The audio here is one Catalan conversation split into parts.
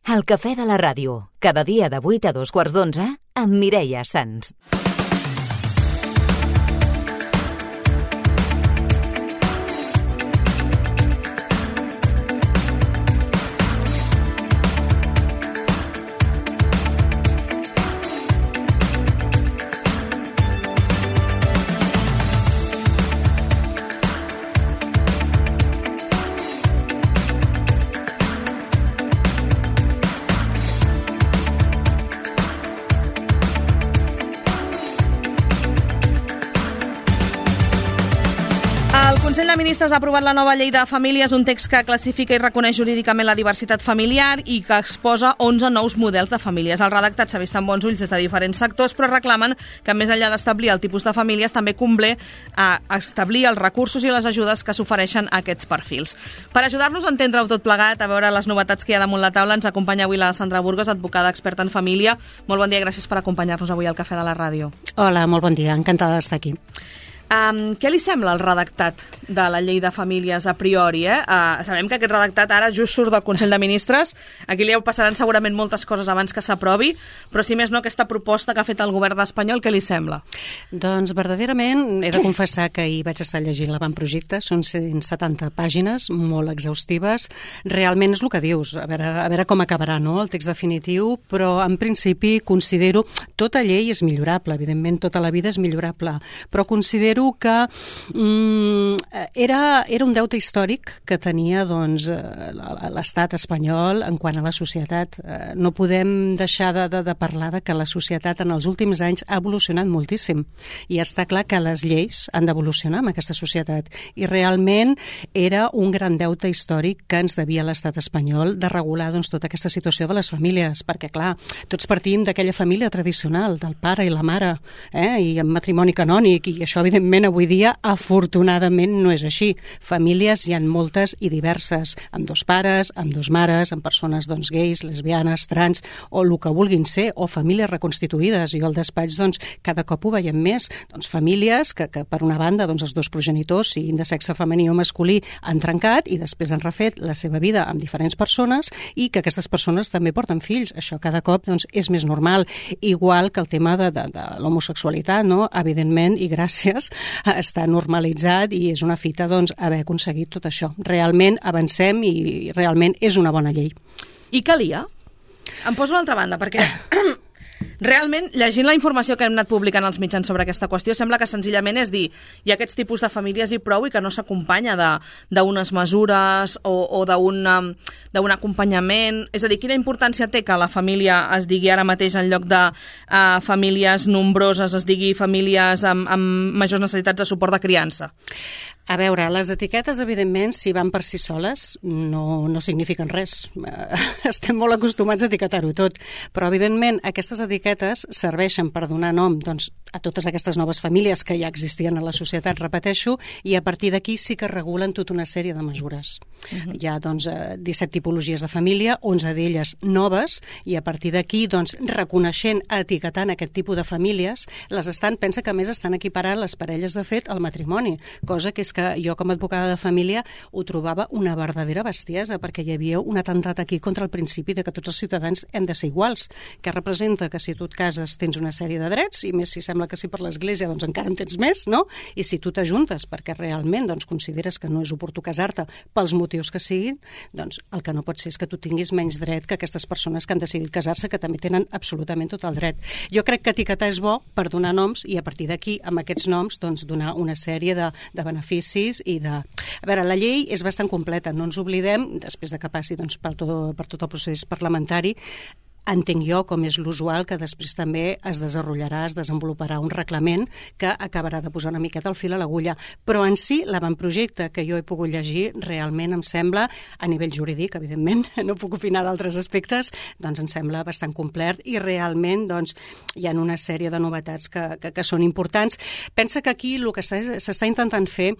El cafè de la ràdio, cada dia de 8 a 2:15 amb Mireia Sans. El Consell de Ministres ha aprovat la nova llei de famílies, un text que classifica i reconeix jurídicament la diversitat familiar i que exposa 11 nous models de famílies. El redactat s'ha vist amb bons ulls des de diferents sectors, però reclamen que, més enllà d'establir el tipus de famílies, també convé establir els recursos i les ajudes que s'ofereixen a aquests perfils. Per ajudar-nos a entendre-ho tot plegat, a veure les novetats que hi ha damunt la taula, ens acompanya avui la Sandra Burgos, advocada experta en família. Molt bon dia, gràcies per acompanyar-nos avui al Cafè de la Ràdio. Hola, molt bon dia, encantada d'estar aquí. Què li sembla el redactat de la llei de famílies a priori? Sabem que aquest redactat ara just surt del Consell de Ministres, aquí li passaran segurament moltes coses abans que s'aprovi, però si més no aquesta proposta que ha fet el govern espanyol, què li sembla? Doncs verdaderament he de confessar que ahir vaig estar llegint l'avantprojecte, són 170 pàgines, molt exhaustives, realment és el que dius, a veure com acabarà, no?, el text definitiu, però en principi considero, tota llei és millorable, evidentment tota la vida és millorable, però considero que era un deute històric que tenia l'estat espanyol en quant a la societat. No podem deixar de parlar de que la societat en els últims anys ha evolucionat moltíssim i està clar que les lleis han d'evolucionar amb aquesta societat i realment era un gran deute històric que ens devia l'estat espanyol de regular tota aquesta situació de les famílies, perquè clar, tots partim d'aquella família tradicional, del pare i la mare, i amb matrimoni canònic, i això evidentment avui dia, afortunadament, no és així. Famílies hi ha moltes i diverses, amb dos pares, amb dos mares, amb persones gais, lesbianes, trans, o el que vulguin ser, o famílies reconstituïdes. Jo al despatx cada cop ho veiem més. Famílies que per una banda els dos progenitors, siguin de sexe femení o masculí, han trencat i després han refet la seva vida amb diferents persones i que aquestes persones també porten fills. Això cada cop és més normal. Igual que el tema de l'homosexualitat, no? Evidentment, i gràcies, està normalitzat i és una fita haver aconseguit tot això. Realment avancem i realment és una bona llei. I calia? Em poso a l'altra banda, perquè realment, llegint la informació que hem anat publicant als mitjans sobre aquesta qüestió, sembla que senzillament és dir, hi ha aquests tipus de famílies i prou i que no s'acompanya d'unes mesures o d'un acompanyament. És a dir, quina importància té que la família es digui ara mateix en lloc de famílies nombroses, es digui famílies amb majors necessitats de suport de criança? A veure, les etiquetes, evidentment, si van per si soles, no signifiquen res. Estem molt acostumats a etiquetar-ho tot. Però, evidentment, aquestes etiquetes serveixen per donar nom a totes aquestes noves famílies que ja existien a la societat, repeteixo, i a partir d'aquí sí que regulen tota una sèrie de mesures. Hi ha 17 tipologies de família, 11 d'elles noves, i a partir d'aquí, reconeixent, etiquetant aquest tipus de famílies, pensa que a més estan equiparant les parelles de fet al matrimoni, cosa que és que jo com a advocada de família ho trobava una verdadera bestiesa, perquè hi havia un atemptat aquí contra el principi de que tots els ciutadans hem de ser iguals, que representa que si tu et cases tens una sèrie de drets, i més si sembla que si per l'Església encara en tens més, no? I si tu t'ajuntes perquè realment consideres que no és oportú casar-te pels motius que siguin, el que no pot ser és que tu tinguis menys dret que aquestes persones que han decidit casar-se, que també tenen absolutament tot el dret. Jo crec que etiquetar és bo per donar noms i a partir d'aquí, amb aquests noms, donar una sèrie de beneficis i de... A veure, la llei és bastant completa, no ens oblidem, després de que passi per tot el procés parlamentari, entenc jo, com és l'usual, que després també es desenvoluparà un reglament que acabarà de posar una miqueta el fil a l'agulla. Però en si, l'avantprojecte que jo he pogut llegir, realment em sembla, a nivell jurídic, evidentment, no puc opinar d'altres aspectes, em sembla bastant complet i realment hi ha una sèrie de novetats que són importants. Pensa que aquí el que s'està intentant fer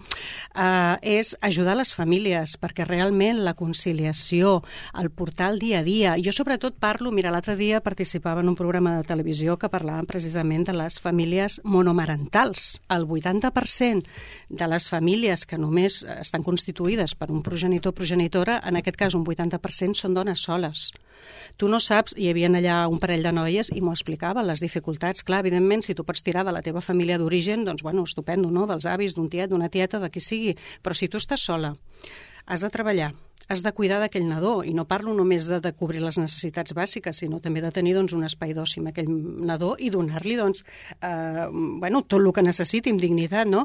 és ajudar les famílies, perquè realment la conciliació, el portar el dia a dia, jo sobretot parlo, mira, l'altre dia participava en un programa de televisió que parlaven precisament de les famílies monomarentals. El 80% de les famílies que només estan constituïdes per un progenitor o progenitora, en aquest cas un 80% són dones soles. Tu no saps, hi havia allà un parell de noies i m'ho explicaven, les dificultats. Clar, evidentment, si tu pots tirar de la teva família d'origen, doncs, bueno, estupendo, no?, dels avis, d'un tiet, d'una tieta, de qui sigui. Però si tu estàs sola, has de treballar, has de cuidar d'aquell nadó, i no parlo només de cobrir les necessitats bàsiques, sinó també de tenir un espai d'oci amb aquell nadó i donar-li tot el que necessiti amb dignitat, no?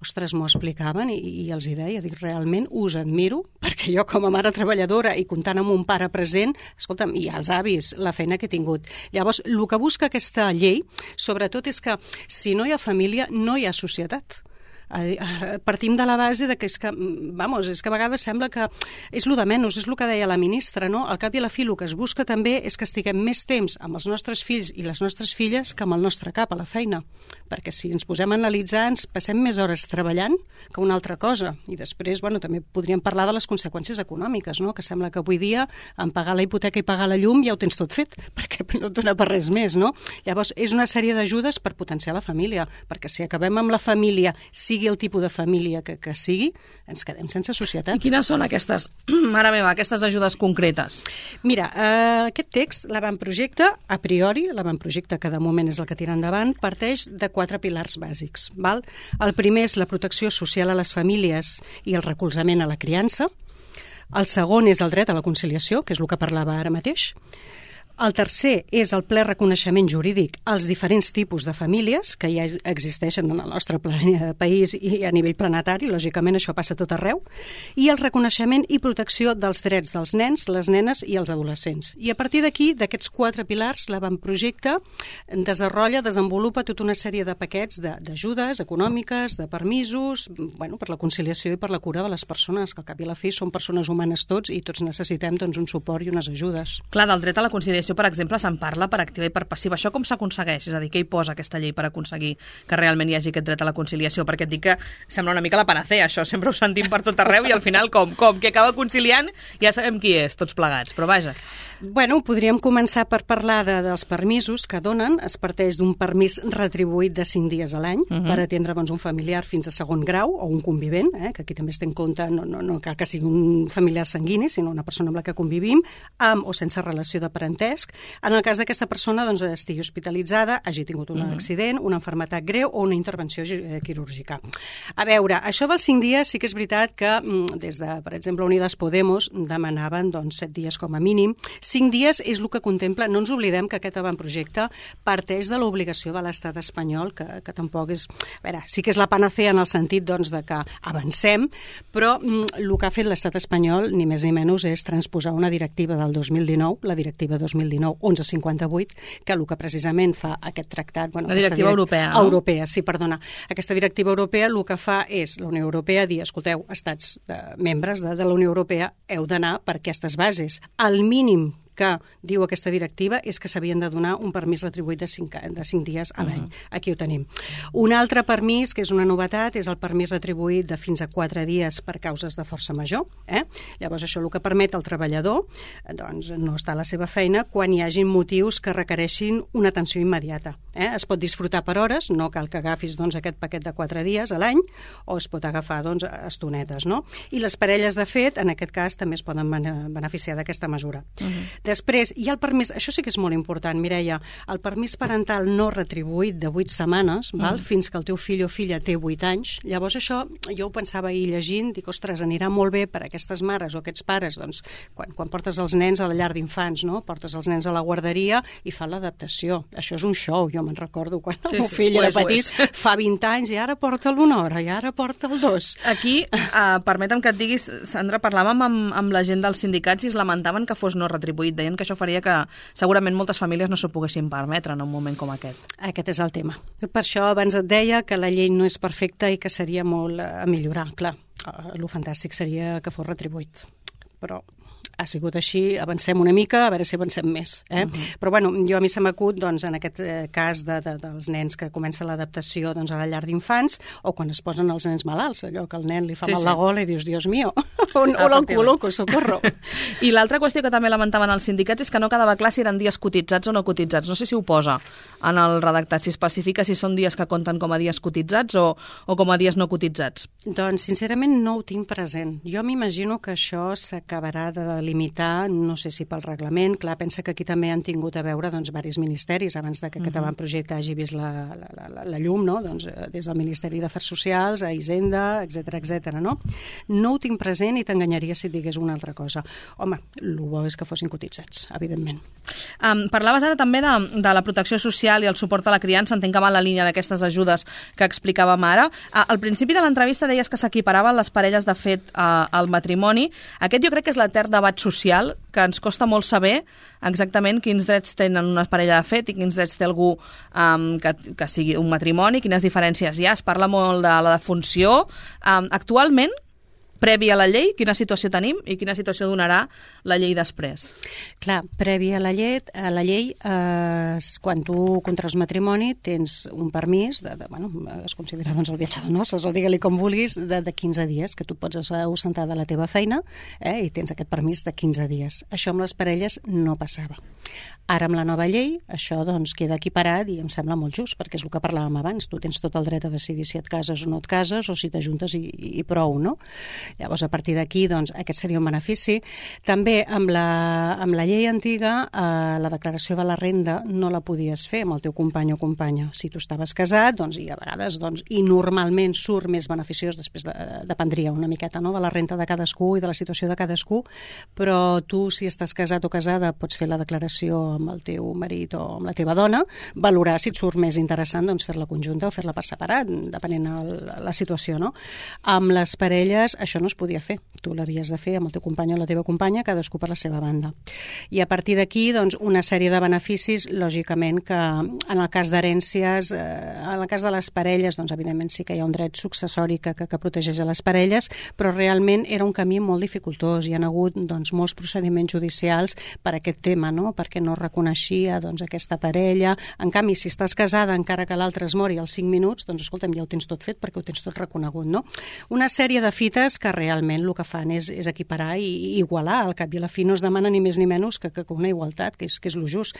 Ostres, m'ho explicaven i els hi deia, dic, realment us admiro, perquè jo com a mare treballadora i comptant amb un pare present, escolta'm, i els avis, la feina que he tingut. Llavors, el que busca aquesta llei, sobretot, és que si no hi ha família, no hi ha societat. Partim de la base de que és que a vegades sembla que és el de menys, és el que deia la ministra, no? Al cap i a la fi el que es busca també és que estiguem més temps amb els nostres fills i les nostres filles que amb el nostre cap a la feina, perquè si ens posem a analitzar ens passem més hores treballant que una altra cosa, i després també podríem parlar de les conseqüències econòmiques, no? Que sembla que avui dia en pagar la hipoteca i pagar la llum ja ho tens tot fet, perquè no et dona per res més, no? Llavors és una sèrie d'ajudes per potenciar la família, perquè si acabem amb la família, sigui el tipus de família que sigui, ens quedem sense societat. I quines són aquestes, mare meva, aquestes ajudes concretes? Mira, aquest text, l'avantprojecte, a priori, l'avantprojecte que de moment és el que tira endavant, parteix de 4 pilars bàsics. Val? El primer és la protecció social a les famílies i el recolzament a la criança. El segon és el dret a la conciliació, que és el que parlava ara mateix. El tercer és el ple reconeixement jurídic als diferents tipus de famílies que ja existeixen en el nostre país i a nivell planetari, lògicament això passa tot arreu, i el reconeixement i protecció dels drets dels nens, les nenes i els adolescents. I a partir d'aquí, d'aquests 4 pilars, l'avantprojecte desenvolupa tota una sèrie de paquets d'ajudes econòmiques, de permisos, per la conciliació i per la cura de les persones, que al cap i a la fi són persones humanes tots i tots necessitem un suport i unes ajudes. Clar, del dret a la conciliació, per exemple, se'n parla per activa i per passiva. Això com s'aconsegueix? És a dir, què hi posa aquesta llei per aconseguir que realment hi hagi aquest dret a la conciliació? Perquè et dic que sembla una mica la panacea, això. Sempre ho sentim per tot arreu i al final com? Qui acaba conciliant ja sabem qui és, tots plegats, però vaja. Podríem començar per parlar dels permisos que donen. Es parteix d'un permís retribuït de 5 dies a l'any per atendre un familiar fins a segon grau o un convivent, que aquí també es té en compte, no cal que sigui un familiar sanguini, sinó una persona amb la que convivim, amb o sense relació de parentesc. En el cas d'aquesta persona estigui hospitalitzada, hagi tingut un accident, una malaltia greu o una intervenció quirúrgica. A veure, això dels 5 dies sí que és veritat que des de, per exemple, Unides Podemos demanaven 7 dies com a mínim. 5 dies és el que contempla, no ens oblidem que aquest avantprojecte parteix de l'obligació de l'estat espanyol, que tampoc és... A veure, sí que és la panacea en el sentit de que avancem, però el que ha fet l'estat espanyol, ni més ni menys, és transposar una directiva del 2019, la directiva 2019-1158, que el que precisament fa aquest tractat... La directiva europea, no? Europea, sí, perdona. Aquesta directiva europea el que fa és, la Unió Europea, dir, escolteu, estats membres de la Unió Europea, heu d'anar per aquestes bases. El mínim que diu aquesta directiva és que s'havien de donar un permís retribuït de 5 dies a l'any. Aquí ho tenim. Un altre permís, que és una novetat, és el permís retribuït de fins a 4 dies per causes de força major. Llavors, això el que permet al treballador no estar a la seva feina quan hi hagi motius que requereixin una atenció immediata. Es pot disfrutar per hores, no cal que agafis aquest paquet de 4 dies a l'any, o es pot agafar estonetes, no? I les parelles, de fet, en aquest cas, també es poden beneficiar d'aquesta mesura. Després, hi ha el permís, això sí que és molt important, Mireia, el permís parental no retribuït de 8 setmanes, fins que el teu fill o filla té 8 anys. Llavors això, jo ho pensava ahir llegint, dic, ostres, anirà molt bé per a aquestes mares o aquests pares, quan portes els nens a la llar d'infants, no? Portes els nens a la guarderia i fan l'adaptació. Això és un show, jo me'n recordo quan el meu fill era petit, fa 20 anys, i ara porta'l 1 hora, i ara porta'l 2. Aquí, permetem que et diguis, Sandra, parlàvem amb la gent dels sindicats i es lamentaven que fos no retribuït. Deien que això faria que segurament moltes famílies no s'ho poguessin permetre en un moment com aquest. Aquest és el tema. Per això abans et deia que la llei no és perfecta i que seria molt a millorar. Clar, el fantàstic seria que fos retribuït. Però ha sigut així, avancem una mica, a veure si avancem més. Però bueno, jo a mi se m'acut, en aquest cas dels nens que comença l'adaptació a la llar d'infants, o quan es posen els nens malalts, allò que el nen li fa mal la gola i dius, Dios mío, on el col·loco, socorro. I l'altra qüestió que també lamentaven els sindicats és que no quedava clar si eren dies cotitzats o no cotitzats. No sé si ho posa en el redactat, si especifica si són dies que compten com a dies cotitzats o com a dies no cotitzats. Doncs, sincerament, no ho tinc present. Jo m'imagino que això s'acabarà de delimitar, no sé si pel reglament, clar, pensa que aquí també han tingut a veure doncs, diversos ministeris abans que aquest avantprojecte hagi vist la llum, no? Doncs, des del Ministeri d'Afers Socials a Hisenda, etc. No ho tinc present i t'enganyaria si et digués una altra cosa. Home, el bo és que fossin cotitzats, evidentment. Parlaves ara també de la protecció social i el suport a la criança, entenc que va en la línia d'aquestes ajudes que explicàvem ara. Al principi de l'entrevista deies que s'equiparaven les parelles de fet al matrimoni. Aquest jo crec que és l'etern debat social, que ens costa molt saber exactament quins drets tenen una parella de fet i quins drets té algú que sigui un matrimoni, quines diferències hi ha. Es parla molt de la defunció. Actualment, previ a la llei, quina situació tenim i quina situació donarà la llei després? Clar, previ a la llei, quan tu contraus matrimoni tens un permís, es considera el viatge de noces, o digue-li com vulguis, de 15 dies, que tu pots ausentar de la teva feina i tens aquest permís de 15 dies. Això amb les parelles no passava. Ara, amb la nova llei, això queda equiparat i em sembla molt just, perquè és el que parlàvem abans. Tu tens tot el dret a decidir si et cases o no et cases, o si t'ajuntes i prou, no? Llavors, a partir d'aquí, aquest seria un benefici. També, amb la llei antiga, la declaració de la renda no la podies fer amb el teu company o companya. Si tu estaves casat, i a vegades, i normalment surt més beneficiós, després dependria una miqueta, no?, de la renda de cadascú i de la situació de cadascú, però tu, si estàs casat o casada, pots fer la declaració amb el teu marit o amb la teva dona, valorar si et surt més interessant fer-la conjunta o fer-la per separat, depenent de la situació, no? Amb les parelles això no es podia fer. Tu l'havies de fer amb el teu company o la teva companya, cadascú per la seva banda. I a partir d'aquí, una sèrie de beneficis, lògicament, que en el cas d'herències, en el cas de les parelles, evidentment sí que hi ha un dret successori que protegeix a les parelles, però realment era un camí molt dificultós. Hi ha hagut molts procediments judicials per aquest tema, no?, perquè no reconeixia aquesta parella. En canvi, si estàs casada, encara que l'altre es mori als 5 minuts, escolta'm, ja ho tens tot fet perquè ho tens tot reconegut, no? Una sèrie de fites que realment el que fan és equiparar i igualar. Al cap i a la fi no es demana ni més ni menys que una igualtat, que és lo just.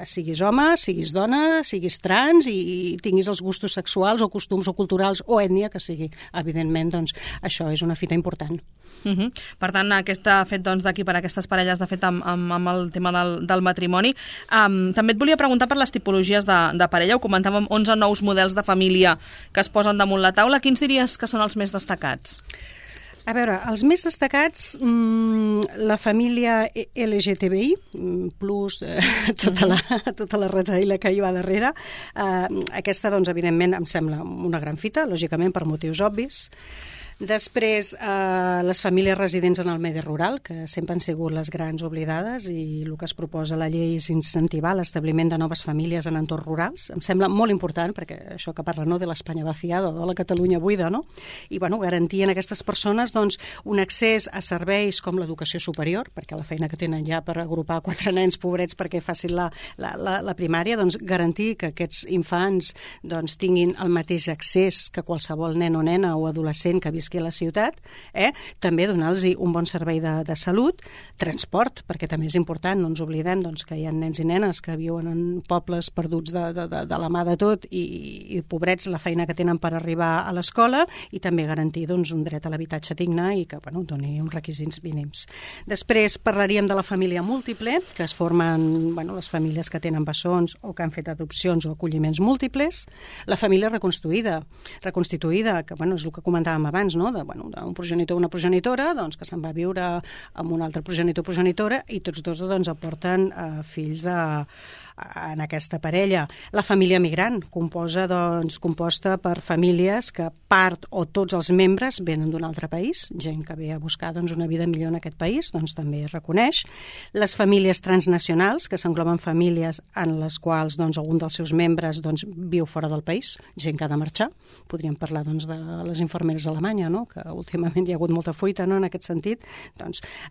Siguis home, siguis dona, siguis trans i tinguis els gustos sexuals o costums o culturals o ètnia que sigui. Evidentment, això és una fita important. Per tant, aquest fet d'equiparar aquestes parelles, de fet, amb el tema del matrimoni. També et volia preguntar per les tipologies de parella. Ho comentàvem, 11 nous models de família que es posen damunt la taula. Quins diries que són els més destacats? A veure, els més destacats, la família LGTBI, plus tota la retaïla que hi va darrere. Aquesta, evidentment, em sembla una gran fita, lògicament per motius obvis. Després, les famílies residents en el medi rural, que sempre han sigut les grans oblidades, i el que es proposa a la llei és incentivar l'establiment de noves famílies en entorns rurals. Em sembla molt important, perquè això que parla, no?, de l'Espanya vaciada o de la Catalunya buida, no? I, garantir a aquestes persones un accés a serveis com l'educació superior, perquè la feina que tenen ja per agrupar 4 nens pobrets perquè facin la primària, garantir que aquests infants tinguin el mateix accés que qualsevol nen o nena o adolescent que visqui a la ciutat, també donar-los un bon servei de salut, transport, perquè també és important, no ens oblidem que hi ha nens i nenes que viuen en pobles perduts de la mà de tot i pobrets la feina que tenen per arribar a l'escola, i també garantir un dret a l'habitatge digne i que doni uns requisits mínims. Després parlaríem de la família múltiple, que es formen les famílies que tenen bessons o que han fet adopcions o acolliments múltiples. La família reconstituïda, que és el que comentàvem abans, no?, d'un progenitor o una progenitora que se'n va viure amb un altre progenitor o progenitora i tots dos aporten fills en aquesta parella. La família migrant, composta per famílies que part o tots els membres venen d'un altre país, gent que ve a buscar una vida millor en aquest país, també es reconeix. Les famílies transnacionals, que s'engloben famílies en les quals algun dels seus membres viu fora del país, gent que ha de marxar. Podríem parlar de les infermeres alemanyes, no?, que últimament hi ha hagut molta fuita, no?, en aquest sentit.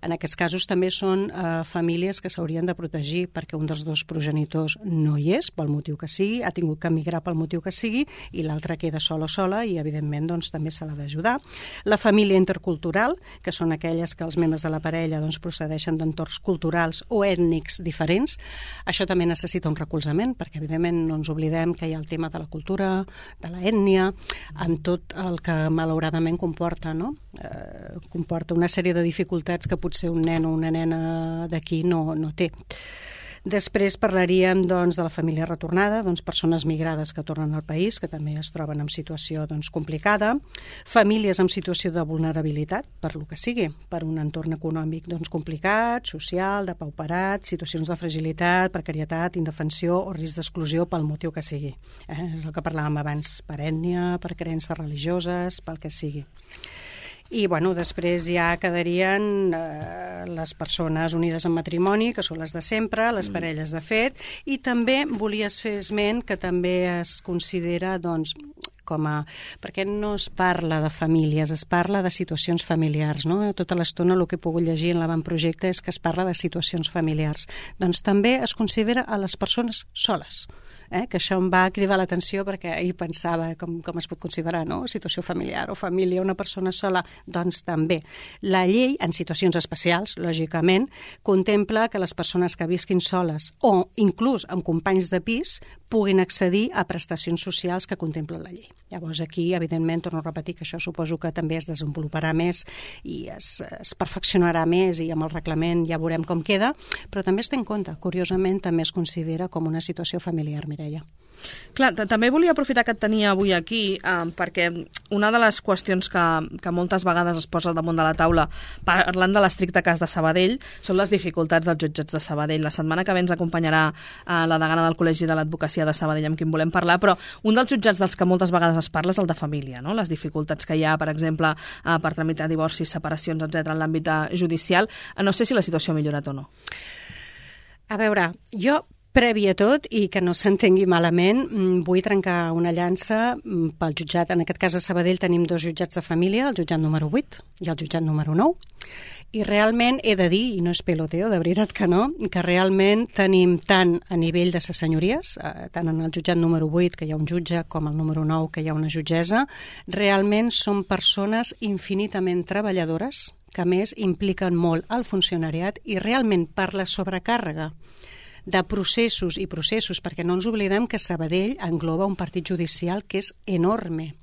En aquests casos també són famílies que s'haurien de protegir perquè un dels dos progenitors progenitors no hi és, pel motiu que sigui, ha tingut que emigrar pel motiu que sigui, i l'altra queda sola i, evidentment, doncs, també se l'ha d'ajudar. La família intercultural, que són aquelles que els membres de la parella doncs, procedeixen d'entorns culturals o ètnics diferents. Això també necessita un recolzament, perquè, evidentment, no ens oblidem que hi ha el tema de la cultura, de l'ètnia, amb tot el que malauradament comporta, no? Comporta una sèrie de dificultats que potser un nen o una nena d'aquí no té. Després parlaríem doncs, de la família retornada, doncs, persones migrades que tornen al país, que també es troben en situació doncs, complicada, famílies en situació de vulnerabilitat, per lo que sigui, per un entorn econòmic doncs, complicat, social, depauperat, situacions de fragilitat, precarietat, indefensió o risc d'exclusió pel motiu que sigui. És el que parlàvem abans, per ètnia, per creences religioses, pel que sigui. I després ja quedarien les persones unides en matrimoni, que són les de sempre, les parelles de fet, i també volies fer esment que també es considera perquè no es parla de famílies, es parla de situacions familiars, no? Tota l'estona el que he pogut llegir en l'avantprojecte és que es parla de situacions familiars. Doncs també es considera a les persones soles. Que això em va cridar l'atenció perquè ahir pensava com es pot considerar, no? Situació familiar o família, una persona sola. Doncs també. La llei, en situacions especials, lògicament, contempla que les persones que visquin soles o inclús amb companys de pis puguin accedir a prestacions socials que contempla la llei. Llavors aquí, evidentment, torno a repetir que això suposo que també es desenvoluparà més i es perfeccionarà més i amb el reglament ja veurem com queda, però també es té en compte, curiosament, també es considera com una situació familiar, Mireia. Clar, també volia aprofitar que et tenia avui aquí perquè una de les qüestions que moltes vegades es posa al damunt de la taula parlant de l'estricte cas de Sabadell són les dificultats dels jutjats de Sabadell. La setmana que ve ens acompanyarà la degana del Col·legi de l'Advocacia de Sabadell amb qui en volem parlar, però un dels jutjats dels que moltes vegades es parla és el de família, no? Les dificultats que hi ha, per exemple, per tramitar divorcis, separacions, etc. en l'àmbit judicial. No sé si la situació ha millorat o no. A veure, jo previ a tot, i que no s'entengui malament, vull trencar una llança pel jutjat. En aquest cas a Sabadell tenim dos jutjats de família, el jutjat número 8 i el jutjat número 9. I realment he de dir, i no és peloteo, de veritat que no, que realment tenim tant a nivell de ses senyories, tant en el jutjat número 8, que hi ha un jutge, com el número 9, que hi ha una jutgessa, realment són persones infinitament treballadores, que a més impliquen molt el funcionariat i realment per la sobrecàrrega de processos i processos, perquè no ens oblidem que Sabadell engloba un partit judicial que és enorme.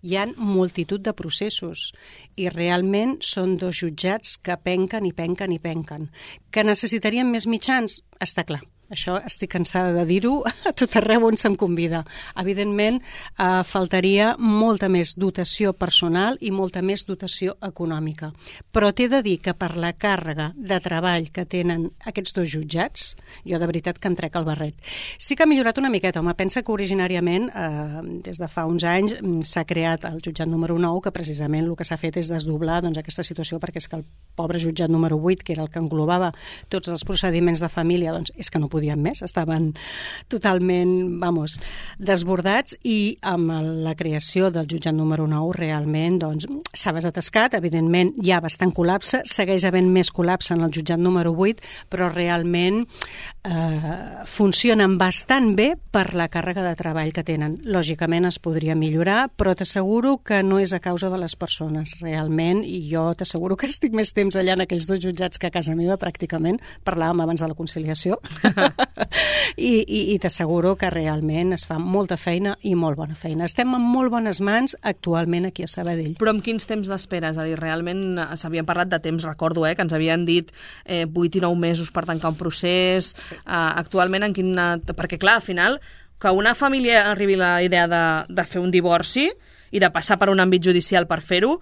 Hi ha multitud de processos i realment són dos jutjats que penquen i penquen i penquen. Que necessitarien més mitjans? Està clar. Això estic cansada de dir-ho a tot arreu on se'm convida. Evidentment, faltaria molta més dotació personal i molta més dotació econòmica. Però t'he de dir que per la càrrega de treball que tenen aquests dos jutjats, jo de veritat que em trec el barret. Sí que ha millorat una miqueta, home. Pensa que originàriament, des de fa uns anys, s'ha creat el jutjat número 9, que precisament el que s'ha fet és desdoblar aquesta situació, perquè és que el pobre jutjat número 8, que era el que englobava tots els procediments de família, doncs és que no podien més, estaven totalment, desbordats, i amb la creació del jutjat número 9 realment s'ha desatascat, evidentment hi ha bastant col·lapse, segueix havent més col·lapse en el jutjat número 8, però realment funcionen bastant bé per la càrrega de treball que tenen. Lògicament es podria millorar, però t'asseguro que no és a causa de les persones, realment, i jo t'asseguro que estic més temps allà en aquells dos jutjats que a casa meva, pràcticament, parlàvem abans de la conciliació, i t'asseguro que realment es fa molta feina i molt bona feina. Estem en molt bones mans actualment aquí a Sabadell. Però amb quins temps d'espera? És a dir, realment s'havien parlat de temps, recordo, que ens havien dit 8 i 9 mesos per tancar un procés. Sí. Actualment, perquè clar, al final, que una família arribi a la idea de fer un divorci i de passar per un àmbit judicial per fer-ho,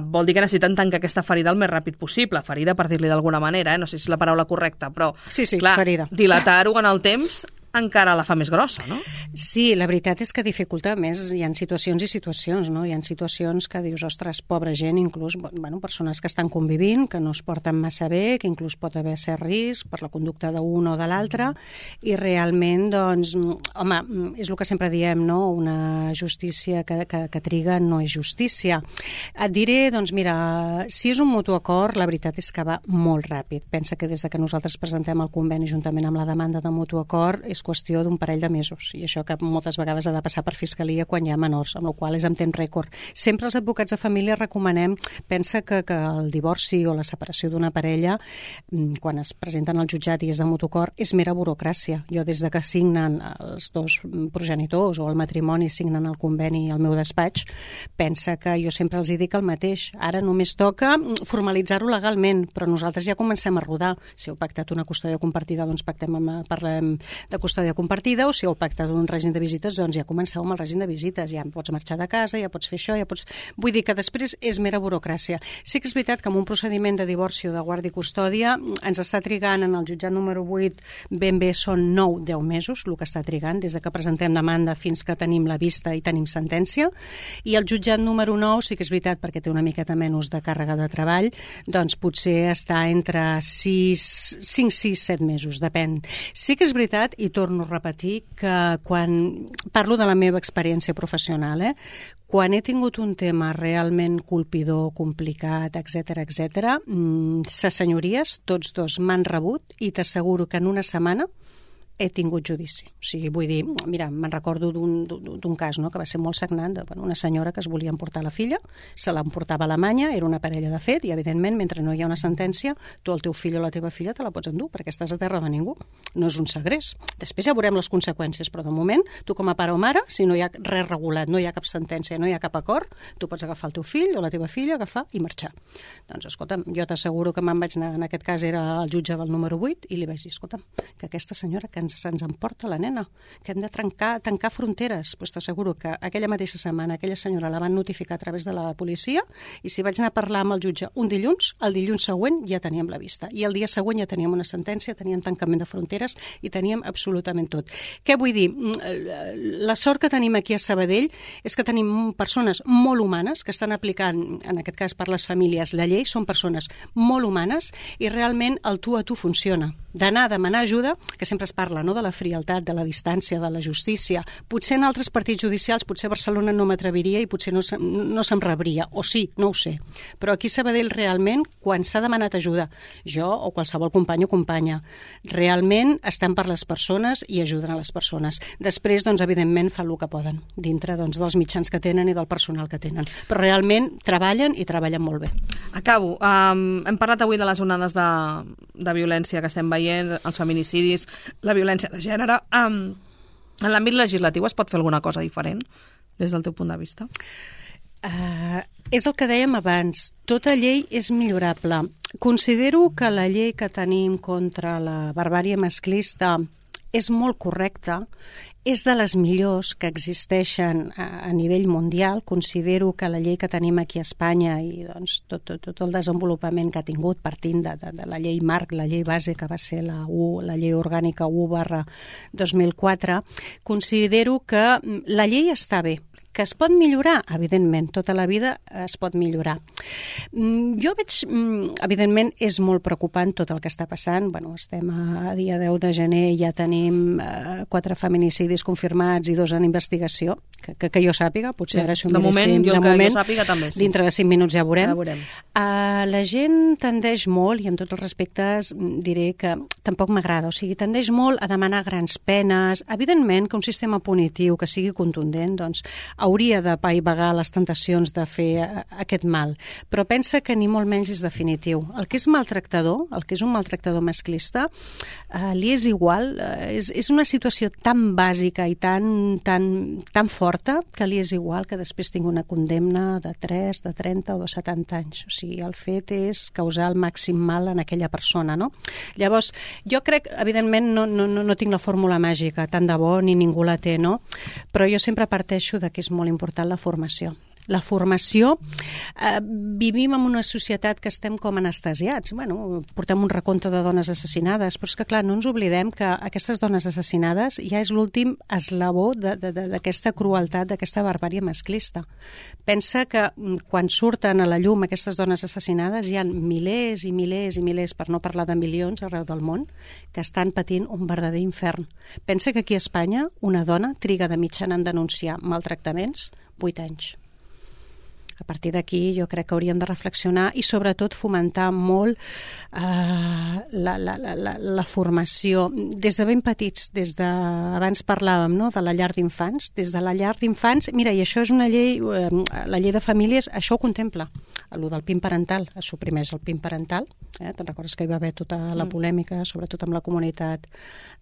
vol dir que necessiten tancar aquesta ferida el més ràpid possible. Ferida, per dir-li d'alguna manera, no sé si és la paraula correcta, però sí, clar, ferida. Dilatar-ho en el temps encara la fa més grossa, no? Sí, la veritat és que dificulta més. Hi ha situacions i situacions, no? Hi ha situacions que dius, ostres, pobra gent, inclús persones que estan convivint, que no es porten massa bé, que inclús pot haver cert risc per la conducta d'un o de l'altre, i realment, doncs, home, és el que sempre diem, no? Una justícia que triga no és justícia. Et diré, doncs mira, si és un mutu acord, la veritat és que va molt ràpid. Pensa que des que nosaltres presentem el conveni juntament amb la demanda de mutu acord és qüestió d'un parell de mesos, i això que moltes vegades ha de passar per Fiscalia quan hi ha menors, amb la qual cosa és en temps rècord. Sempre els advocats de família recomanem, pensa que el divorci o la separació d'una parella, quan es presenten al jutjat i és de mutu acord, és mera burocràcia. Jo des de que signen els dos progenitors o el matrimoni signen el conveni al meu despatx, pensa que jo sempre els dic el mateix. Ara només toca formalitzar-ho legalment, però nosaltres ja comencem a rodar. Si heu pactat una custòdia compartida, doncs parlem de custòdia compartida, o si heu pactat un règim de visites, doncs ja comenceu amb el règim de visites, ja pots marxar de casa, ja pots fer això, ja pots... Vull dir que després és mera burocràcia. Sí que és veritat que amb un procediment de divorci o de guàrdia i custòdia ens està trigant en el jutjat número 8 ben bé són 9-10 mesos el que està trigant, des que presentem demanda fins que tenim la vista i tenim sentència, i el jutjat número 9 sí que és veritat perquè té una miqueta menys de càrrega de treball, doncs potser està entre 5, 6, 7 mesos, depèn. Sí que és veritat, i torno a repetir, que quan parlo de la meva experiència professional, quan he tingut un tema realment colpidor, complicat, etc, ses senyories, tots dos m'han rebut i t'asseguro que en una setmana he tingut judici. O sigui, vull dir, mira, me'n recordo d'un cas, no?, que va ser molt sagnant, una senyora que es volia emportar la filla, se l'emportava a Alemanya, era una parella de fet, i evidentment, mentre no hi ha una sentència, tu el teu fill o la teva filla te la pots endur, perquè estàs a terra de ningú. No és un segrest. Després ja veurem les conseqüències, però de moment, tu com a pare o mare, si no hi ha res regulat, no hi ha cap sentència, no hi ha cap acord, tu pots agafar el teu fill o la teva filla, agafar i marxar. Doncs, escolta'm, jo t'asseguro que me'n vaig anar, en aquest cas era el jutge del número 8, i li vaig dir, escolta'm, que aquesta senyora que se'ns emporta la nena, que hem de tancar fronteres. Pues t'asseguro que aquella mateixa setmana aquella senyora la van notificar a través de la policia, i si vaig anar a parlar amb el jutge un dilluns, el dilluns següent ja teníem la vista, i el dia següent ja teníem una sentència, teníem tancament de fronteres i teníem absolutament tot. Què vull dir? La sort que tenim aquí a Sabadell és que tenim persones molt humanes que estan aplicant, en aquest cas per les famílies, la llei, són persones molt humanes i realment el tu a tu funciona. D'anar a demanar ajuda, que sempre es parla, no?, de la frialtat, de la distància, de la justícia. Potser en altres partits judicials, potser Barcelona no m'atreviria i potser no se'm rebria, o sí, no ho sé. Però aquí a Sabadell realment, quan s'ha demanat ajuda, jo o qualsevol company o companya, realment estan per les persones i ajuden a les persones. Després, doncs, evidentment, fan el que poden, dintre dels mitjans que tenen i del personal que tenen. Però realment treballen i treballen molt bé. Acabo. Hem parlat avui de les onades de violència que estem veient, els feminicidis, la violència de gènere. En l'àmbit legislatiu es pot fer alguna cosa diferent des del teu punt de vista? És el que dèiem abans, tota llei és millorable. Considero que la llei que tenim contra la barbàrie masclista és molt correcta, és de les millors que existeixen a nivell mundial. Considero que la llei que tenim aquí a Espanya i doncs, tot el desenvolupament que ha tingut partint de la llei marc, la llei base que va ser la llei orgànica 1/2004, considero que la llei està bé. Que es pot millorar? Evidentment, tota la vida es pot millorar. Jo veig, evidentment, és molt preocupant tot el que està passant. Bueno, estem a dia 10 de gener i ja tenim 4 feminicidis confirmats i 2 en investigació, que jo sàpiga, potser ara això de moment, jo sàpiga també sí. Dintre de 5 minuts ja veurem. Ja veurem. La gent tendeix molt, i amb tots els respectes diré que tampoc m'agrada, o sigui, tendeix molt a demanar grans penes. Evidentment que un sistema punitiu que sigui contundent, doncs, hauria de paivagar les tentacions de fer aquest mal, però pensa que ni molt menys és definitiu. El que és maltractador, el que és un maltractador masclista, li és igual, és una situació tan bàsica i tan forta que li és igual que després tingui una condemna de 3, de 30 o de 70 anys. O sigui, el fet és causar el màxim mal en aquella persona, no? Llavors, jo crec, evidentment, no tinc la fórmula màgica, tant de bo ni ningú la té, no? Però jo sempre parteixo de que és molt important la formació. La formació, vivim en una societat que estem com anestesiats. Bueno, portem un recompte de dones assassinades, però és que, clar, no ens oblidem que aquestes dones assassinades ja és l'últim eslabó d'aquesta crueltat, d'aquesta barbàrie masclista. Pensa que quan surten a la llum aquestes dones assassinades hi ha milers i milers i milers, per no parlar de milions arreu del món, que estan patint un verdader infern. Pensa que aquí a Espanya una dona triga de mitjana en denunciar maltractaments 8 anys. A partir d'aquí jo crec que hauríem de reflexionar i sobretot fomentar molt la formació des de ben petits, abans parlàvem, no?, de la llar d'infants, des de la llar d'infants, mira, i això és una llei, la llei de famílies, això ho contempla, el del PIN parental, es suprimeix el PIN parental, te'n recordes que hi va haver tota la polèmica, sobretot amb la comunitat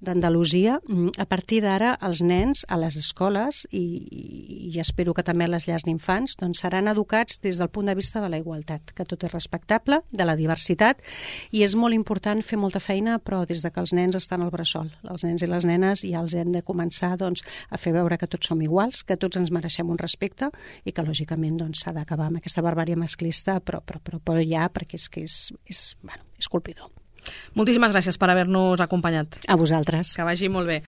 d'Andalusia. A partir d'ara els nens a les escoles i espero que també a les llars d'infants doncs seran educats des del punt de vista de la igualtat, que tot és respectable, de la diversitat, i és molt important fer molta feina, però des de que els nens estan al bressol. Els nens i les nenes ja els hem de començar a fer veure que tots som iguals, que tots ens mereixem un respecte i que lògicament s'ha d'acabar amb aquesta barbàrie masclista, però ja, perquè és colpidor. Moltíssimes gràcies per haver-nos acompanyat. A vosaltres. Que vagi molt bé.